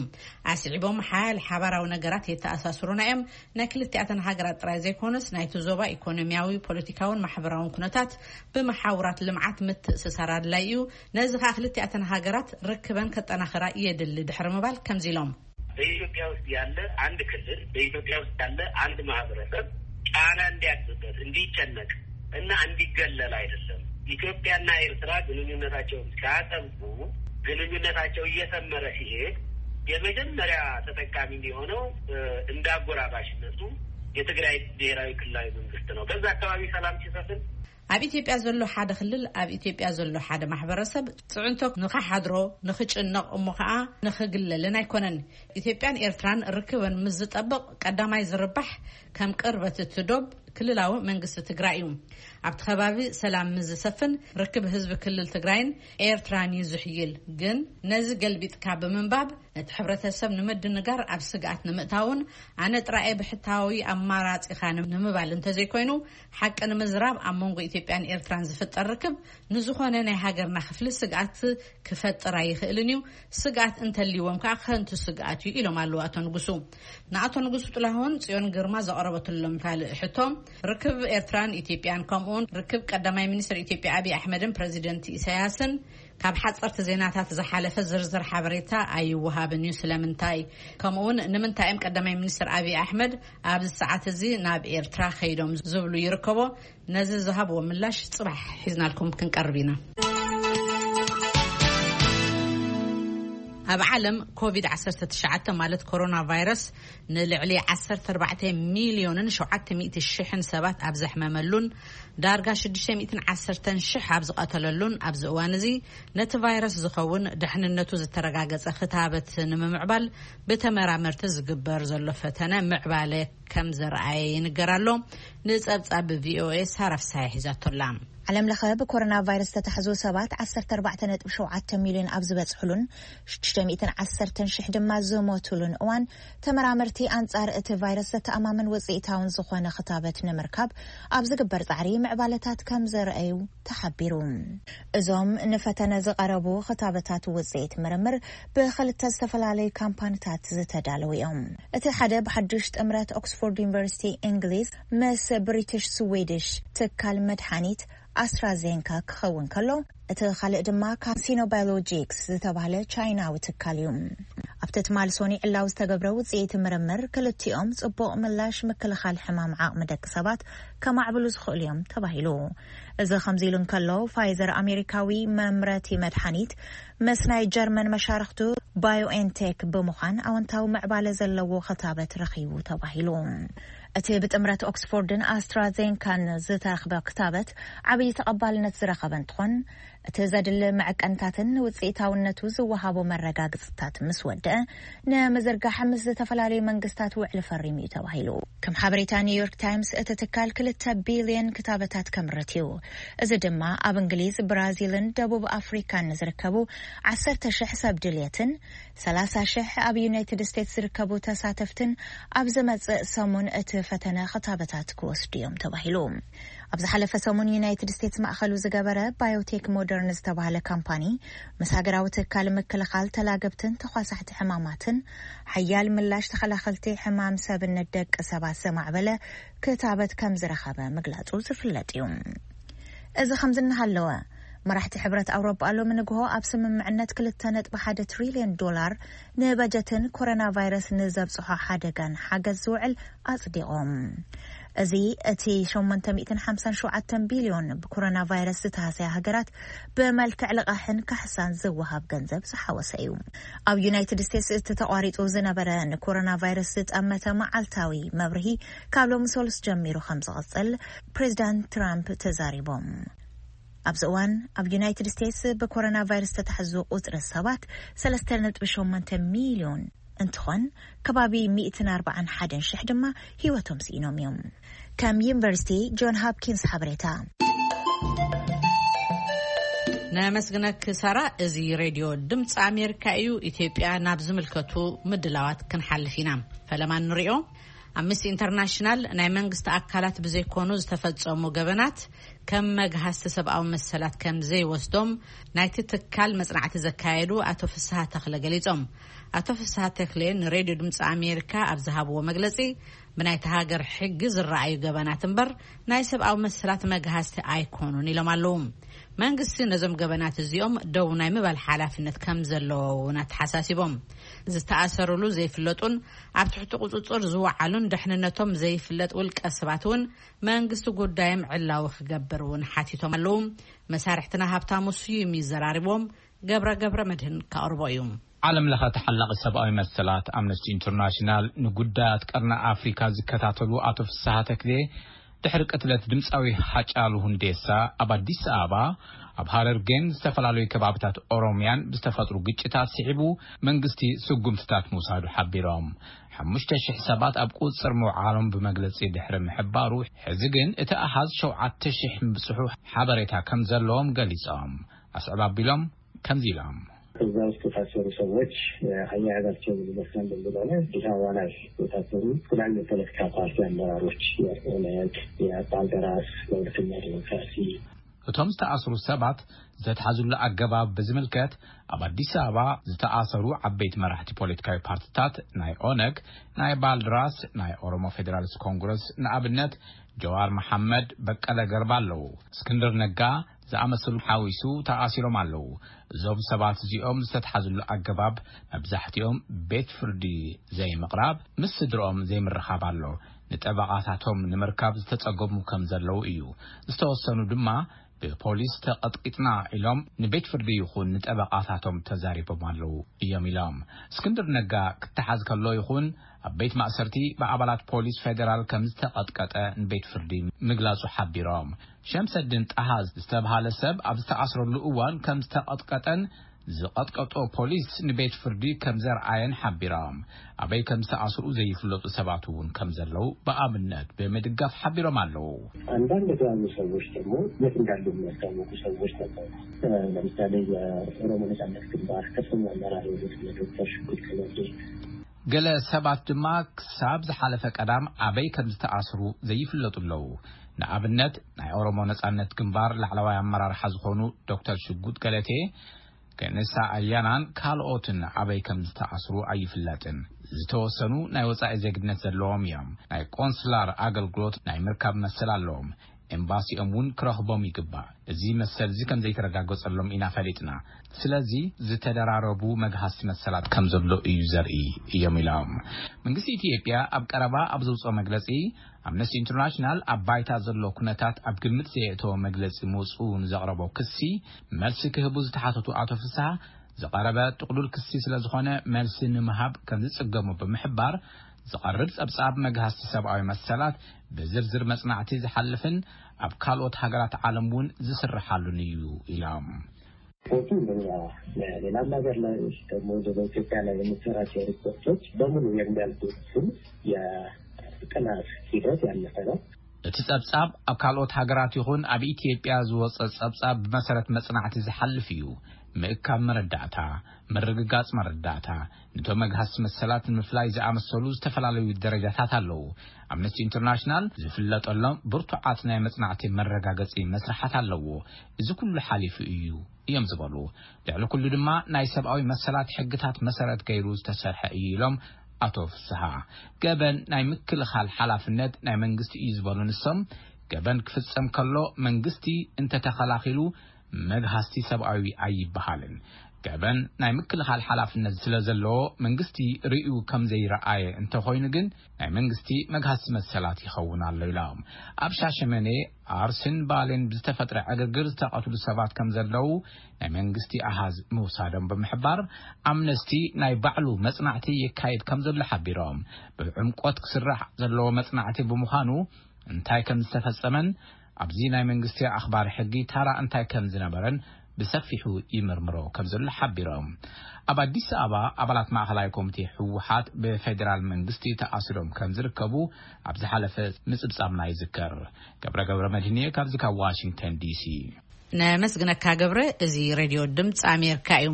ኣስዒቦም፣ ሓያል ሓባራዊ ነገራት የተኣሳስሩና እዮም። ናይ ክልቲኣተን ሃገራት ጥራይ ዘይኮነስ፣ ናይቲ ዞባ ኢኮኖሚያዊ፣ ፖለቲካውን ማሕበራውን ኩነታት ብመሓውራት ልምዓት ምትእስሳር ኣድላይ እዩ። ነዚ ከኣ ክልቲኣተን ሃገራት ርክበን ከጠናኽራ የድሊ ድሕሪ ምባል ከምዚ ኢሎም። በኢትዮጵያ ውስጥ ያለ አንድ ክልል፣ በኢትዮጵያ ውስጥ ያለ አንድ ማህበረሰብ ጫና እንዲያድርበት፣ እንዲጨነቅ እና እንዲገለል አይደለም። ኢትዮጵያና ኤርትራ ግንኙነታቸውን ሲያጠብቁ፣ ግንኙነታቸው እየሰመረ ሲሄድ የመጀመሪያ ተጠቃሚ የሚሆነው፣ እ፣ እንዳጎራባሽነቱ የትግራይ ብሔራዊ ክልላዊ መንግስት ነው። በዛ አካባቢ ሰላም ሲሰፍን፣ ኣብ ኢትዮጵያ ዘሎ ሓደ ክልል፣ ኣብ ኢትዮጵያ ዘሎ ሓደ ማሕበረሰብ ጽዕንቶ ንኸሓድሮ፣ ንኽጭነቕ፣ እሞ ኸኣ ንኽግለልን ኣይኮነን። ኢትዮጵያን ኤርትራን ርክበን ምስ ዝጠብቕ፣ ቀዳማይ ዝርባሕ ከም ቅርበት እቲ ዶብ ክልላዊ መንግስቲ ትግራይ እዩ። ኣብቲ ከባቢ ሰላም ምስ ዝሰፍን፣ ርክብ ህዝቢ ክልል ትግራይን ኤርትራን እዩ ዝሕይል። ግን ነዚ ገልቢጥካ ብምንባብ፣ ነቲ ሕብረተሰብ ንምድንጋር፣ ኣብ ስግኣት ንምእታውን፣ ኣነ ጥራየ ብሕታዊ ኣማራጺኻ ንምባል እንተዘይኮይኑ፣ ሓቂ ንምዝራብ፣ ኣብ መንጎ ኢትዮጵያን ኤርትራን ዝፍጠር ርክብ ንዝኾነ ናይ ሃገርና ክፍሊ ስግኣት ክፈጥር ኣይኽእልን እዩ። ስግኣት እንተልይዎም ከኣ ከንቱ ስግኣት እዩ ኢሎም ኣለዉ ኣቶ ንጉሱ። ንኣቶ ንጉሱ ጥላሁን ጽዮን ግርማ ዘቐረበትሎም ካልእ ሕቶ፣ ርክብ ኤርትራን ኢትዮጵያን ከምኡውን ርክብ ቀዳማይ ሚኒስትር ኢትዮጵያ ኣብይ ኣሕመድን ፕረዚደንት ኢሳያስን ካብ ሓጸርቲ ዜናታት ዝሓለፈ ዝርዝር ሓበሬታ ኣይወሃብን እዩ። ስለምንታይ? ከምኡውን ንምንታይ እዮም ቀዳማይ ሚኒስትር ኣብይ ኣሕመድ ኣብዚ ሰዓት እዚ ናብ ኤርትራ ከይዶም ዝብሉ ይርከቦ። ነዚ ዝሃብዎ ምላሽ ጽባሕ ሒዝናልኩም ክንቀርብ ኢና። ኣብ ዓለም ኮቪድ ዓሰርተ ትሽዓተ ማለት ኮሮና ቫይረስ ንልዕሊ ዓሰርተ ኣርባዕተ ሚልዮንን ሸውዓተ ሚእቲ ሽሕን ሰባት ኣብ ዘሕመመሉን ዳርጋ ሽዱሽተ ሚእትን ዓሰርተን ሽሕ ኣብ ዝቐተለሉን ኣብዚ እዋን እዚ፣ ነቲ ቫይረስ ዝኸውን ድሕንነቱ ዝተረጋገጸ ክታበት ንምምዕባል ብተመራመርቲ ዝግበር ዘሎ ፈተነ ምዕባለ ከም ዘርኣየ ይንገር ኣሎ። ንጸብጻብ ቪኦኤ ሳራ ፍሳሐ ሒዛቶ ኣላ። ዓለም ለኸ ብኮሮና ቫይረስ ዝተታሕዙ ሰባት ዓሰርተ ኣርባዕተ ነጥቢ ሸውዓተ ሚልዮን ኣብ ዝበጽሕሉን ሽዱሽተ ሚእትን ዓሰርተን ሽሕ ድማ ዝሞቱሉን እዋን፣ ተመራመርቲ ኣንጻር እቲ ቫይረስ ዘተኣማምን ውጽኢታውን ዝኾነ ክታበት ንምርካብ ኣብ ዝግበር ጻዕሪ ምዕባለታት ከም ዘርኣዩ ተሓቢሩ። እዞም ንፈተነ ዝቐረቡ ክታበታት ውጽኢት ምርምር ብኽልተ ዝተፈላለዩ ካምፓኒታት ዝተዳለዉ እዮም። እቲ ሓደ ብሓድሽ ጥምረት ኦክስፎርድ ዩኒቨርሲቲ እንግሊዝ ምስ ብሪቲሽ ስዊድሽ ትካል መድሓኒት ኣስትራዜንካ ክኸውን ከሎ፣ እቲ ካልእ ድማ ካብ ሲኖባዮሎጂክስ ዝተባህለ ቻይናዊ ትካል እዩ። ኣብቲ ትማል ሶኒ ዕላዊ ዝተገብረ ውጽኢት ምርምር፣ ክልቲኦም ጽቡቕ ምላሽ ምክልኻል ሕማም ዓቕሚ ደቂ ሰባት ከማዕብሉ ዝኽእሉ እዮም ተባሂሉ። እዚ ከምዚ ኢሉ እንከሎ፣ ፋይዘር ኣሜሪካዊ መምረቲ መድሓኒት ምስ ናይ ጀርመን መሻርኽቱ ባዮኤንቴክ ብምዃን ኣወንታዊ ምዕባለ ዘለዎ ክታበት ረኺቡ ተባሂሉ። እቲ ብጥምረት ኦክስፎርድን ኣስትራዜንካን ዝተረኽበ ክታበት ዓብዪ ተቐባልነት ዝረኸበ እንትኾን፣ እቲ ዘድሊ መዐቀንታትን ውፅኢታውነቱ ዝወሃቦ መረጋግፅታት ምስ ወደአ፣ ንምዝርጋሕ ምስ ዝተፈላለዩ መንግስታት ውዕሊ ፈሪሙ እዩ ተባሂሉ። ከም ሓበሬታ ኒውዮርክ ታይምስ፣ እቲ ትካል ክልተ ቢልዮን ክታበታት ከምርት እዩ። እዚ ድማ ኣብ እንግሊዝ፣ ብራዚልን ደቡብ ኣፍሪካን ንዝርከቡ ዓሰርተ ሽሕ ሰብ ድልየትን ሰላሳ ሽሕ ኣብ ዩናይትድ ስቴትስ ዝርከቡ ተሳተፍትን ኣብ ዝመጽእ ሰሙን እቲ ፈተነ ክታበታት ክወስዱ እዮም ተባሂሉ። ኣብ ዝሓለፈ ሰሙን ዩናይትድ ስቴትስ ማእኸሉ ዝገበረ ባዮቴክ ሞደርን ዝተባህለ ካምፓኒ፣ ምስ ሃገራዊ ትካል ምክልኻል ተላገብትን ተኳሳሕቲ ሕማማትን ሓያል ምላሽ ተኸላኸልቲ ሕማም ሰብነት ደቂ ሰባት ዘማዕበለ ክታበት ከም ዝረኸበ ምግላጹ ዝፍለጥ እዩ። እዚ ከምዚ እናሃለወ፣ መራሕቲ ሕብረት ኣውሮጳ ሎሚ ንግሆ ኣብ ስምምዕነት ክልተ ነጥቢ ሓደ ትሪልዮን ዶላር ንበጀትን ኮሮና ቫይረስ ንዘብጽሖ ሓደጋን ሓገዝ ዝውዕል ኣጽዲቖም። እዚ እቲ ሸሞንተ ሚእትን ሓምሳን ሸውዓተን ቢልዮን ብኮሮና ቫይረስ ዝተሃሰያ ሃገራት ብመልክዕ ልቓሕን ካሕሳን ዝወሃብ ገንዘብ ዝሓወሰ እዩ። ኣብ ዩናይትድ ስቴትስ እቲ ተቋሪጹ ዝነበረ ንኮሮና ቫይረስ ዝጠመተ መዓልታዊ መብርሂ ካብ ሎሚ ሰሉስ ጀሚሩ ከም ዝቕጽል ፕሬዚዳንት ትራምፕ ተዛሪቦም። ኣብዚ እዋን ኣብ ዩናይትድ ስቴትስ ብኮሮና ቫይረስ ዝተታሕዙ ቁጽሪ ሰባት ሰለስተ ነጥቢ ሸሞንተ ሚልዮን እንትኾን፣ ከባቢ ሚእትን ኣርባዓን ሓደን ሽሕ ድማ ህይወቶም ስኢኖም እዮም። ከም ዩኒቨርሲቲ ጆን ሆፕኪንስ ሓበሬታ። ነመስግነክ ሳራ። እዚ ሬድዮ ድምፂ ኣሜሪካ እዩ። ኢትዮጵያ ናብ ዝምልከቱ ምድላዋት ክንሓልፍ ኢና። ፈለማ ንሪኦ። ኣምነስቲ ኢንተርናሽናል ናይ መንግስቲ ኣካላት ብዘይኮኑ ዝተፈጸሙ ገበናት ከም መግሃስቲ ሰብኣዊ መሰላት ከም ዘይወስዶም ናይቲ ትካል መጽናዕቲ ዘካየዱ ኣቶ ፍስሃ ተኽለ ገሊጾም። ኣቶ ፍስሃ ተኽለ ንሬድዮ ድምፂ ኣሜሪካ ኣብ ዝሃብዎ መግለጺ፣ ብናይቲ ሃገር ሕጊ ዝረኣዩ ገበናት እምበር ናይ ሰብኣዊ መሰላት መግሃስቲ ኣይኮኑን ኢሎም ኣለዉ። መንግስቲ ነዞም ገበናት እዚኦም ደው ናይ ምባል ሓላፍነት ከም ዘለዎ እውን ኣተሓሳሲቦም። ዝተኣሰሩሉ ዘይፍለጡን ኣብ ትሕቲ ቁጽጽር ዝወዓሉን ደሕንነቶም ዘይፍለጥ ውልቀ ሰባት እውን መንግስቲ ጉዳዮም ዕላዊ ክገብር እውን ሓቲቶም ኣለዉ። መሳርሕትና ሃብታሙ ስዩም ይዘራርቦም። ገብረ ገብረ መድህን ከቕርቦ እዩ። ዓለም ለኸ ተሓላቒ ሰብኣዊ መሰላት ኣምነስቲ ኢንተርናሽናል ንጉዳያት ቀርኒ ኣፍሪካ ዝከታተሉ ኣቶ ፍስሃ ተክሌ፣ ድሕሪ ቅትለት ድምፃዊ ሃጫሉ ሁንዴሳ ኣብ ኣዲስ ኣበባ፣ ኣብ ሃረርጌን ዝተፈላለዩ ከባብታት ኦሮሚያን ብዝተፈጥሩ ግጭታት ስዒቡ መንግስቲ ስጉምትታት ምውሳዱ ሓቢሮም። ሓሙሽተ ሽሕ ሰባት ኣብ ቁፅፅር ምውዓሎም ብመግለፂ ድሕሪ ምሕባሩ፣ ሕዚ ግን እቲ ኣሃዝ ሸውዓተ ሽሕ ምብፅሑ ሓበሬታ ከም ዘለዎም ገሊፆም። ኣስዕብ ኣቢሎም ከምዚ ኢሎም። እዛ ውስጥ የታሰሩ ሰዎች አያያዛቸው ምን ይመስላል እንደሚለው ላይ አዲስ አበባ ላይ የታሰሩ የተለያዩ የፖለቲካ ፓርቲ አመራሮች፣ የኦነግ፣ የባልደራስ ለእውነተኛ ዲሞክራሲ። እቶም ዝተኣስሩ ሰባት ዝተትሓዙሉ ኣገባብ ብዝምልከት፣ ኣብ ኣዲስ ኣበባ ዝተኣሰሩ ዓበይቲ መራሕቲ ፖለቲካዊ ፓርቲታት ናይ ኦነግ፣ ናይ ባልድራስ፣ ናይ ኦሮሞ ፌዴራሊስት ኮንግረስ፣ ንኣብነት ጀዋር መሓመድ፣ በቀለ ገርባ ኣለዉ። እስክንድር ነጋ ዝኣመሰሉ ሓዊሱ ተኣሲሮም ኣለዉ። እዞም ሰባት እዚኦም ዝተትሓዙሉ ኣገባብ መብዛሕትኦም ቤት ፍርዲ ዘይምቕራብ፣ ምስ ስድርኦም ዘይምርኻብ ኣሎ። ንጠበቓታቶም ንምርካብ ዝተጸገሙ ከም ዘለዉ እዩ። ዝተወሰኑ ድማ ብፖሊስ ተቐጥቂጥና ኢሎም ንቤት ፍርዲ ይኹን ንጠበቓታቶም ተዛሪቦም ኣለዉ እዮም ኢሎም። እስክንድር ነጋ ክተሓዝ ከሎ ይኹን ኣብ ቤት ማእሰርቲ ብኣባላት ፖሊስ ፌደራል ከም ዝተቐጥቀጠ ንቤት ፍርዲ ምግላጹ ሓቢሮም። ሸምሰድን ጣሃ ዝተብሃለ ሰብ ኣብ ዝተኣስረሉ እዋን ከም ዝተቐጥቀጠን ዝቐጥቀጦ ፖሊስ ንቤት ፍርዲ ከም ዘርኣየን ሓቢሮም። ኣበይ ከም ዝተኣስሩ ዘይፍለጡ ሰባት እውን ከም ዘለዉ ብኣብነት ብምድጋፍ ሓቢሮም ኣለዉ። አንዳንድ የተያዙ ሰዎች ደግሞ የት እንዳሉ የሚያስታወቁ ሰዎች ነበሩ። ለምሳሌ የኦሮሞ ነጻነት ግንባር ከፍተኛ አመራር የሆኑት እነ ዶክተር ሽጉጥ ከለቴ። ገለ ሰባት ድማ ክሳብ ዝሓለፈ ቀዳም ኣበይ ከም ዝተኣስሩ ዘይፍለጡ ኣለዉ። ንኣብነት ናይ ኦሮሞ ነጻነት ግንባር ላዕለዋይ ኣመራርሓ ዝኾኑ ዶክተር ሽጉጥ ገለቴ፣ ከነሳ ኣያናን ካልኦትን ኣበይ ከም ዝተኣስሩ ኣይፍለጥን። ዝተወሰኑ ናይ ወጻኢ ዜግነት ዘለዎም እዮም። ናይ ቆንስላር ኣገልግሎት ናይ ምርካብ መሰል ኣለዎም። ኤምባሲኦም እውን ክረኽቦም ይግባእ። እዚ መሰል እዚ ከም ዘይተረጋገጸሎም ኢና ፈሊጥና። ስለዚ ዝተደራረቡ መግሃስቲ መሰላት ከም ዘሎ እዩ ዘርኢ እዮም ኢሎም። መንግስቲ ኢትዮጵያ ኣብ ቀረባ ኣብ ዘውፅኦ መግለጺ፣ ኣምነስቲ ኢንተርናሽናል ኣብ ባይታ ዘሎ ኩነታት ኣብ ግምት ዘየእተወ መግለጺ ምውፅኡ ንዘቕረቦ ክሲ መልሲ ክህቡ ዝተሓተቱ ኣቶ ፍስሃ፣ ዝቐረበ ጥቕሉል ክሲ ስለ ዝኾነ መልሲ ንምሃብ ከም ዝጽገሙ ብምሕባር፣ ዝቐርብ ጸብጻብ መግሃስቲ ሰብኣዊ መሰላት ብዝርዝር መጽናዕቲ ዝሓልፍን ኣብ ካልኦት ሃገራት ዓለም እውን ዝስርሓሉን እዩ ኢሎም። ሪፖርቱ እንደኛ ሌላም ሀገር ላይ ደግሞ ወደ ኢትዮጵያ ላይ የሚሰራቸው ሪፖርቶች በሙሉ የሚያልፉት የጥናት ሂደት ያለፈ ነው። እቲ ጸብጻብ ኣብ ካልኦት ሃገራት ይኹን ኣብ ኢትዮጵያ ዝወጸ ጸብጻብ ብመሰረት መጽናዕቲ ዝሓልፍ እዩ። ምእካብ መረዳእታ፣ ምርግጋጽ መረዳእታ፣ ንቶም መግሃስ መሰላት ንምፍላይ ዝኣመሰሉ ዝተፈላለዩ ደረጃታት ኣለዉ። ኣምነስቲ ኢንተርናሽናል ዝፍለጠሎም ብርቱዓት ናይ መጽናዕቲ መረጋገጺ መስርሓት ኣለዎ። እዚ ኩሉ ሓሊፉ እዩ እዮም ዝበሉ። ልዕሊ ኩሉ ድማ ናይ ሰብኣዊ መሰላት ሕግታት መሰረት ገይሩ ዝተሰርሐ እዩ ኢሎም ኣቶ ፍስሃ። ገበን ናይ ምክልኻል ሓላፍነት ናይ መንግስቲ እዩ ዝበሉ ንሶም፣ ገበን ክፍጸም ከሎ መንግስቲ እንተተኸላኺሉ መግሃስቲ ሰብኣዊ ኣይበሃልን። ገበን ናይ ምክልኻል ሓላፍነት ስለ ዘለዎ መንግስቲ ርእዩ ከም ዘይረኣየ እንተኾይኑ ግን ናይ መንግስቲ መግሃስቲ መሰላት ይኸውን ኣሎ ኢሎም። ኣብ ሻሸመኔ ኣርሲን ባሌን ብዝተፈጥረ ዕግርግር ዝተቐትሉ ሰባት ከም ዘለዉ ናይ መንግስቲ ኣሃዝ ምውሳዶም ብምሕባር ኣምነስቲ ናይ ባዕሉ መጽናዕቲ የካይድ ከም ዘሎ ሓቢሮም። ብዕምቆት ክስራሕ ዘለዎ መጽናዕቲ ብምዃኑ እንታይ ከም ዝተፈጸመን ኣብዚ ናይ መንግስቲ ኣኽባሪ ሕጊ ታራ እንታይ ከም ዝነበረን ብሰፊሑ ይምርምሮ ከም ዘሎ ሓቢሮም። ኣብ ኣዲስ ኣበባ ኣባላት ማእኸላይ ኮሚቴ ህወሓት ብፌዴራል መንግስቲ ተኣሲሮም ከም ዝርከቡ ኣብ ዝሓለፈ ምጽብጻብና ይዝከር። ገብረ ገብረ መድህንየ ካብዚ ካብ ዋሽንግተን ዲሲ። ነመስግነካ ገብረ። እዚ ሬድዮ ድምፂ ኣሜሪካ እዩ።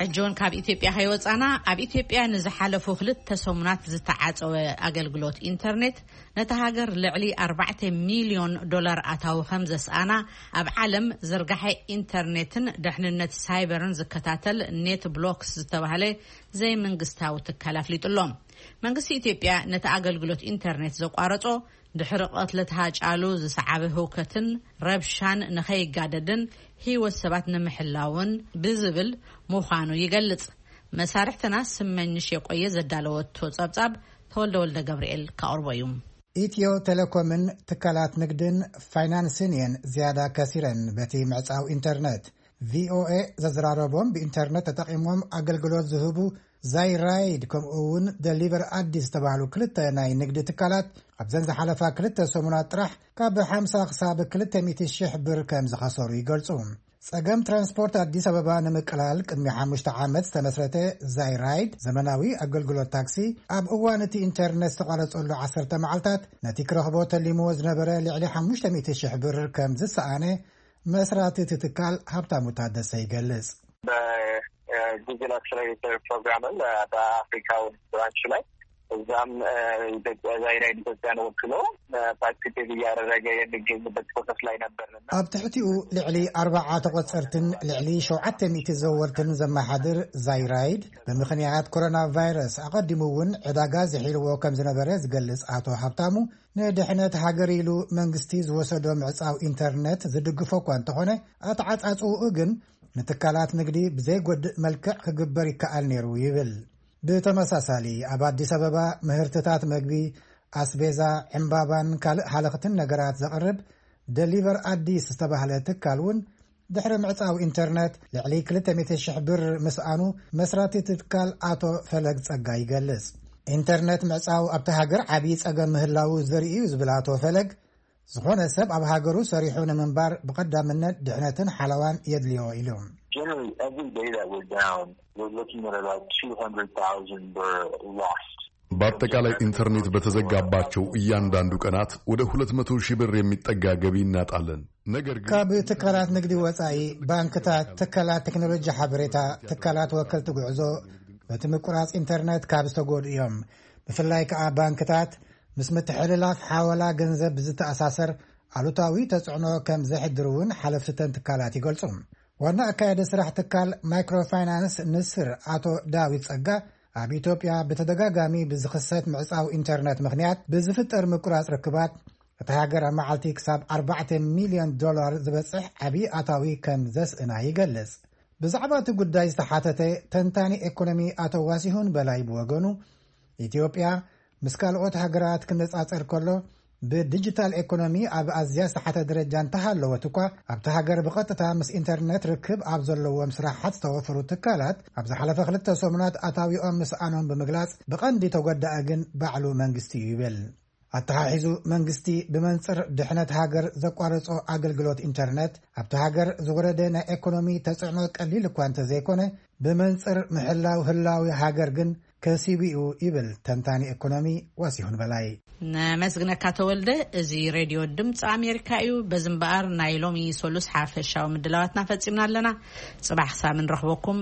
ሕጂ እውን ካብ ኢትዮጵያ ከይወፃና፣ ኣብ ኢትዮጵያ ንዝሓለፉ ክልተ ሰሙናት ዝተዓፀወ ኣገልግሎት ኢንተርኔት ነታ ሃገር ልዕሊ ኣርባዕተ ሚልዮን ዶላር ኣታዊ ከም ዘስኣና ኣብ ዓለም ዝርጋሐ ኢንተርኔትን ደሕንነት ሳይበርን ዝከታተል ኔት ብሎክስ ዝተባህለ ዘይመንግስታዊ ትካል ኣፍሊጡ ኣሎ። መንግስቲ ኢትዮጵያ ነቲ ኣገልግሎት ኢንተርኔት ዘቋረጾ ድሕሪ ቅትለት ሃጫሉ ዝሰዓበ ህውከትን ረብሻን ንኸይጋደድን ህይወት ሰባት ንምሕላውን ብዝብል ምዃኑ ይገልጽ። መሳርሕትና ስመኝሽ የቆየ ዘዳለወቶ ጸብጻብ ተወልደ ወልደ ገብርኤል ከቕርቦ እዩ። ኢትዮ ቴሌኮምን ትካላት ንግድን ፋይናንስን እየን ዝያዳ ከሲረን በቲ ምዕጻው ኢንተርነት። ቪኦኤ ዘዘራረቦም ብኢንተርነት ተጠቒሞም ኣገልግሎት ዝህቡ ዛይራይድ ከምኡ እውን ደሊቨር ኣዲስ ዝተባህሉ ክልተ ናይ ንግዲ ትካላት ኣብዘን ዝሓለፋ ክልተ ሰሙናት ጥራሕ ካብ ሓምሳ ክሳብ ክልተ ሚእቲ ሽሕ ብር ከም ዝኸሰሩ ይገልጹ። ጸገም ትራንስፖርት ኣዲስ ኣበባ ንምቅላል ቅድሚ ሓሙሽተ ዓመት ዝተመስረተ ዛይራይድ ዘመናዊ ኣገልግሎት ታክሲ ኣብ እዋን እቲ ኢንተርነት ዝተቋረጸሉ ዓሰርተ መዓልታት ነቲ ክረኽቦ ተሊምዎ ዝነበረ ልዕሊ ሓሙሽተ ሚእቲ ሽሕ ብር ከም ዝሰኣነ መስራቲ እቲ ትካል ሃብታሙ ታደሰ ይገልጽ። በጉግል አክሰለሬተር ፕሮግራምም በአፍሪካውን ብራንች ላይ እዛም ኢትዮጵያ ዛይራይድ ኢትዮጵያን ወክሎ ፓርቲሲፔት እያደረገ የሚገኝበት ፕሮሰስ ላይ ነበርንና ኣብ ትሕቲኡ ልዕሊ ኣርባዓ ተቆጸርትን ልዕሊ ሸውዓተ ሚእቲ ዘወርትን ዘመሓድር ዛይራይድ ብምኽንያት ኮሮና ቫይረስ ኣቐዲሙ እውን ዕዳጋ ዝሒልዎ ከም ዝነበረ ዝገልጽ ኣቶ ሃብታሙ ንድሕነት ሃገር ኢሉ መንግስቲ ዝወሰዶ ምዕጻው ኢንተርነት ዝድግፎ እኳ እንተኾነ ኣተዓጻጽውኡ ግን ንትካላት ንግዲ ብዘይጎድእ መልክዕ ክግበር ይከኣል ነይሩ ይብል። ብተመሳሳሊ ኣብ ኣዲስ ኣበባ ምህርትታት መግቢ፣ ኣስቤዛ፣ ዕምባባን ካልእ ሃለኽትን ነገራት ዘቕርብ ደሊቨር ኣዲስ ዝተባህለ ትካል እውን ድሕሪ ምዕጻው ኢንተርነት ልዕሊ ክልተ ሚእቲ ሽሕ ብር ምስኣኑ መስራቲ እቲ ትካል ኣቶ ፈለግ ጸጋ ይገልጽ። ኢንተርነት ምዕጻው ኣብቲ ሃገር ዓብዪ ጸገም ምህላዉ ዘርኢ እዩ ዝብል ኣቶ ፈለግ ዝኾነ ሰብ ኣብ ሃገሩ ሰሪሑ ንምንባር ብቐዳምነት ድሕነትን ሓለዋን የድልዮ ኢሉ። Generally, every day that we're down, we're looking at about two hundred thousand birr lost. በአጠቃላይ ኢንተርኔት በተዘጋባቸው እያንዳንዱ ቀናት ወደ ሁለት መቶ ሺህ ብር የሚጠጋ ገቢ እናጣለን። ነገር ግን ካብ ትካላት ንግዲ ወጻኢ ባንክታት፣ ትካላት ቴክኖሎጂ ሓበሬታ፣ ትካላት ወከልቲ ጉዕዞ በቲ ምቁራጽ ኢንተርኔት ካብ ዝተጎዱ እዮም። ብፍላይ ከኣ ባንክታት ምስ ምትሕልላፍ ሓወላ ገንዘብ ብዝተኣሳሰር ኣሉታዊ ተጽዕኖ ከም ዘሕድር እውን ሓለፍቲ እተን ትካላት ይገልጹ። ዋና ኣካያዲ ስራሕ ትካል ማይክሮፋይናንስ ንስር ኣቶ ዳዊት ጸጋ ኣብ ኢትዮጵያ ብተደጋጋሚ ብዝኽሰት ምዕጻው ኢንተርነት ምኽንያት ብዝፍጠር ምቁራጽ ርክባት እታ ሃገር ኣብ መዓልቲ ክሳብ ኣርባዕተ ሚልዮን ዶላር ዝበጽሕ ዓብዪ ኣታዊ ከም ዘስእና ይገልጽ። ብዛዕባ እቲ ጉዳይ ዝተሓተተ ተንታኒ ኤኮኖሚ ኣቶ ዋሲሁን በላይ ብወገኑ ኢትዮጵያ ምስ ካልኦት ሃገራት ክነጻጸር ከሎ ብዲጂታል ኤኮኖሚ ኣብ ኣዝያ ዝተሓተ ደረጃ እንተሃለወት እኳ ኣብቲ ሃገር ብቐጥታ ምስ ኢንተርነት ርክብ ኣብ ዘለዎም ስራሓት ዝተወፈሩ ትካላት ኣብ ዝሓለፈ ክልተ ሰሙናት ኣታዊኦም ምስኣኖም ብምግላጽ ብቐንዲ ተጎዳኢ ግን ባዕሉ መንግስቲ እዩ ይብል። ኣተሓሒዙ መንግስቲ ብመንጽር ድሕነት ሃገር ዘቋረጾ ኣገልግሎት ኢንተርነት ኣብቲ ሃገር ዝወረደ ናይ ኢኮኖሚ ተጽዕኖ ቀሊል እኳ እንተዘይኮነ፣ ብመንጽር ምሕላው ህላዊ ሃገር ግን ከሲቡ እዩ ይብል ተንታኒ ኢኮኖሚ ዋሲሁን በላይ። ነመስግነካ ተወልደ። እዚ ሬድዮ ድምፂ ኣሜሪካ እዩ። በዚ እምበኣር ናይ ሎሚ ሰሉስ ሓፈሻዊ ምድላዋትና ፈፂምና ኣለና። ፅባሕ ክሳብ ንረኽበኩም